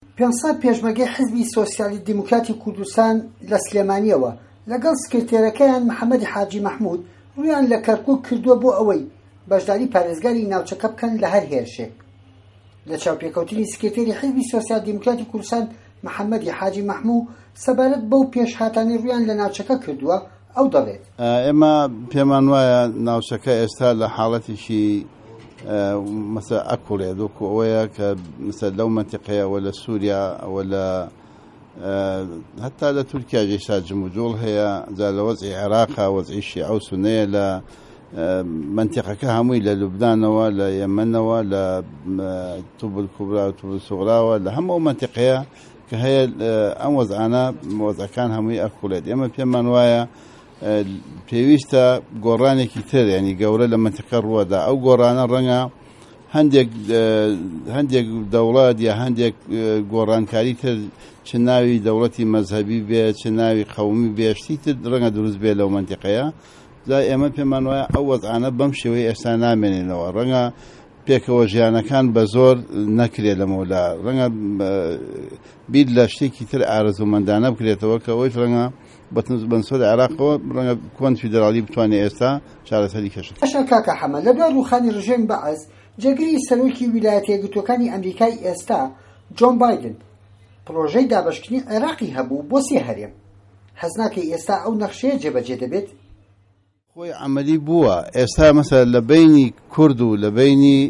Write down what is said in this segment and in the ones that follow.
500 پێشمەرگەی حیزبی سۆسیالیست دیموکراتی کوردستان لە سلێمانییەوە لەگەڵ سکرتێرەکەیان محەمەدی حاجی مەحمود ڕوویان لە کەرکوک کردووە بۆ ئەوەی بەشداری پارێزگاری ناوچەکە بکەن لە هەر هێرشێک. لە چاوپێکەوتنی سکرتێری حیزبی سۆسیال دیموکراتی کوردستان محەمەدی حاجی مەحموو سەبارەت بەو پێشهاتانەی ڕوویان لە ناوچەکە کردووە، ئەو دەڵێت. ئێمە پێمان وایە ناوچەکە ئێستا لە حاڵەتێکی مەسە ئەکوڵێت وەکو ئەوەیە کە مەسە لەو مەنتیقەیە وە لە سووریا وە لە هەتا لە تورکیا ئێستا جموجۆڵ هەیە جا لە وەزعی عێراقا وەزعی شیعە و سونەیە لە مەنتیقەکە هەمووی لە لوبنانەوە لە یەمەنەوە لە توبل کوبرا و توبل سوغراوە لە هەموو ئەو مەنتیقەیە کە هەیە ئەم وەزعانە وەزعەکان هەمووی ئەکوڵێت ئێمە پێمان وایە پێویستە گۆڕانێکی تر ینی گەورە لە مەنتیقە ڕووەدا ئەو گۆڕانە ڕەنگە هەندێک هەندێک دەوڵەت یا هەندێک گۆڕانکاری تر چ ناوی دەوڵەتی مەزهەبی بێ چ ناوی قەومی بێ شتی تر ڕەنگە دروست بێ لەو مەنتیقەیە جا ئێمە پێمان وایە ئەو وەزعانە بەم شێوەی ئێستا نامێنێنەوە ڕەنگە پێکەوە ژیانەکان بە زۆر نەکرێت لەمەولا ڕەنگە بیر لە شتێکی تر ئارەزوومەندانە بکرێتەوە کە ئەوەیش ڕەنگە بەنسبەت عێراقەوە ڕەنگە کۆنفیدراڵی بتوانێت ئێستا چارەسەری کێشەکە. باشە کاکە حەمە لە دوای ڕووخانی ڕژێمی بەعس جێگری سەرۆکی ویلایەتە یەکگرتووەکانی ئەمریکای ئێستا جۆن بایدن پڕۆژەی دابەشکردنی عێراقی هەبوو بۆ سێ هەرێم هەست ناکەی ئێستا ئەو نەخشەیە جێبەجێ دەبێت؟ خۆی عەمەلی بووە ئێستا مەسەلەن لە بەینی کورد و لە بەینی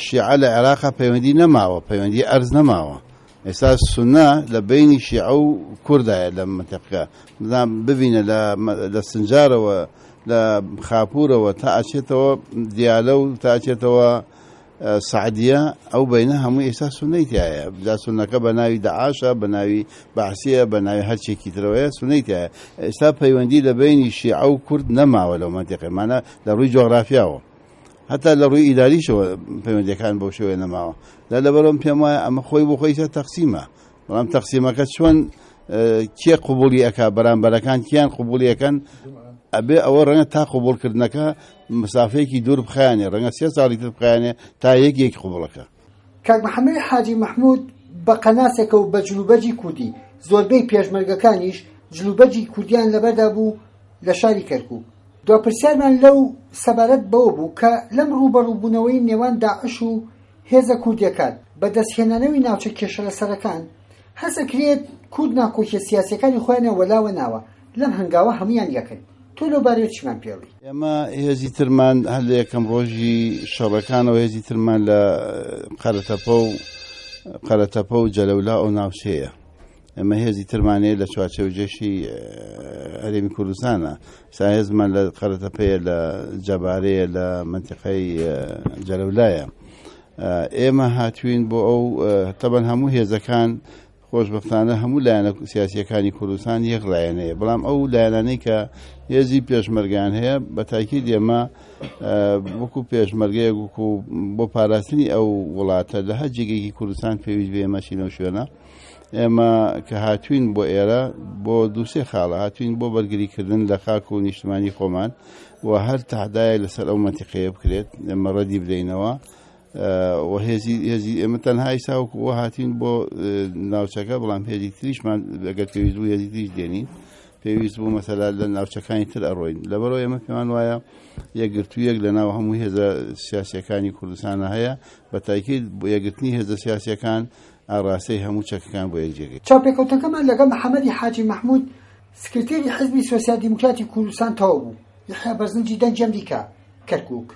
شیعە لە عێراقا پەیوەندی نەماوە پەیوەندی ئەرز نەماوە ئێستا سونە لە بەینی شیعە و کوردایە لە منتەقەکە ببینە لە سنجارەوە لە خاپورەوە تا ئەچێتەوە دیالە و تا ئەچێتەوە سەعدیە ئەو بەینە هەمووی ئێستا سونەی تیایە جا سونەکە بە ناوی دەعاشە بە ناوی بەعسیە بە ناوی هەرچێکی ترەوەیە سونەی تیایە ئێستا پەیوەندی لە بەینی شیعە و کورد نەماوە لەو مەنتیقەی مانە لە ڕووی جۆغرافیاوە هەتا لە ڕووی ئیداریشەوە پەیوەندیەکان بەو شێوەیە نەماوە لە لەبەرم پێم وایە ئەمە خۆی بۆ خۆی ئێستا تەقسیمە بەڵام تەقسیمەکە چۆن کێ قوبولی ئەک بەرامبەرەکان کیان قوبولیەکەن ئەبێ ئەوە ڕەنگە تا قوبولکردنەکە مسافەیەکی دوور بخایەنێ ڕەنگە سێ ساڵی تر بخایەنێ تا یەک یەک قوبڵەکە. کاک محەمەدی حاجی مەحمود بە قەناسێکە و بە جلوبەرگی کوردی، زۆربەی پێشمەرگەکانیش جلوبەرگی کوردیان لەبەردا بوو لە شاری کەرکوک. دوا پرسیارمان لەو سەبارەت بەوە بوو کە لەم ڕووبەڕووبوونەوەی نێوان داعش و هێزە کوردیەکان بە دەستهێنانەوی ناوچە کێشەلەسەرەکان، هەست ئەکرێت کورد ناکۆکیە سیاسیەکانی خۆیانیان وەلاوە ناوە، لەم هەنگاوە هەموویان یەکن. تۆ لەو بارەیەوە چیمان پێڵی؟ ئێمە هێزی ترمان هەر لە یەکەم ڕۆژی شەڕەکانەوە هێزی ترمان لە قەرەتەپە و قەرەتەپە و جەلەولا ئەو ناوچەیە. ئێمە هێزی ترمان هەیە لە چوارچێوەی جێشی هەرێمی کوردستانە سا هێزمان لە قەرەتەپەیە لە جەبارەیە لە منتیقەی جەلەولایە ئێمە هاتوین بۆ ئەو تەبەن هەموو هێزەکان خۆشببختانە هەموو لایەنە سیاسیەکانی کوردستان یەک لایەن هەیە بەڵام ئەو لایەنانەی کە هێزی پێشمەرگیان هەیە بە تاکید ئێمە وەکو پێشمەرگەیەک وەکو بۆ پاراستنی ئەو وڵاتە لە هەر جێگەیەکی کوردستان پێویست بێ ئێمە چینەوە شوێنە ئێمە کە هاتوین بۆ ئێرە بۆ دووسێ خاڵە هاتوین بۆ بەرگریکردن لە خاک و نیشتمانی خۆمان و هەر تەحدایە لەسەر ئەو مەنتیقەیە بکرێت ئێمە ڕەدی بدەینەوە و هێزی هێزی ئێمە تەنها ئیسا وەکو ئەوە هاتین بۆ ناوچەکە بەڵام هێزی تریشمان ئەگەر پێویست بوو هێزی تریش دێنین پێویست بوو مەسەلا لە ناوچەکانی تر ئەڕۆین لەبەرەوە ئێمە پێمان وایە یەکگرتوویەک لە ناو هەموو هێزە سیاسیەکانی کوردستانە هەیە بە تاکید بۆ یەکگرتنی هێزە سیاسیەکان ئاڕاستەی هەموو چەکەکان بۆ یەک جێگەی. چاوپێکەوتنەکەمان لەگەڵ محەمەدی حاجی مەحمود سکرتێری حزبی سۆسیال دیموکراتی کوردستان تەواو بوو. یەحیا بەرزنجی دەنگی ئەمریکا، کەرکوک.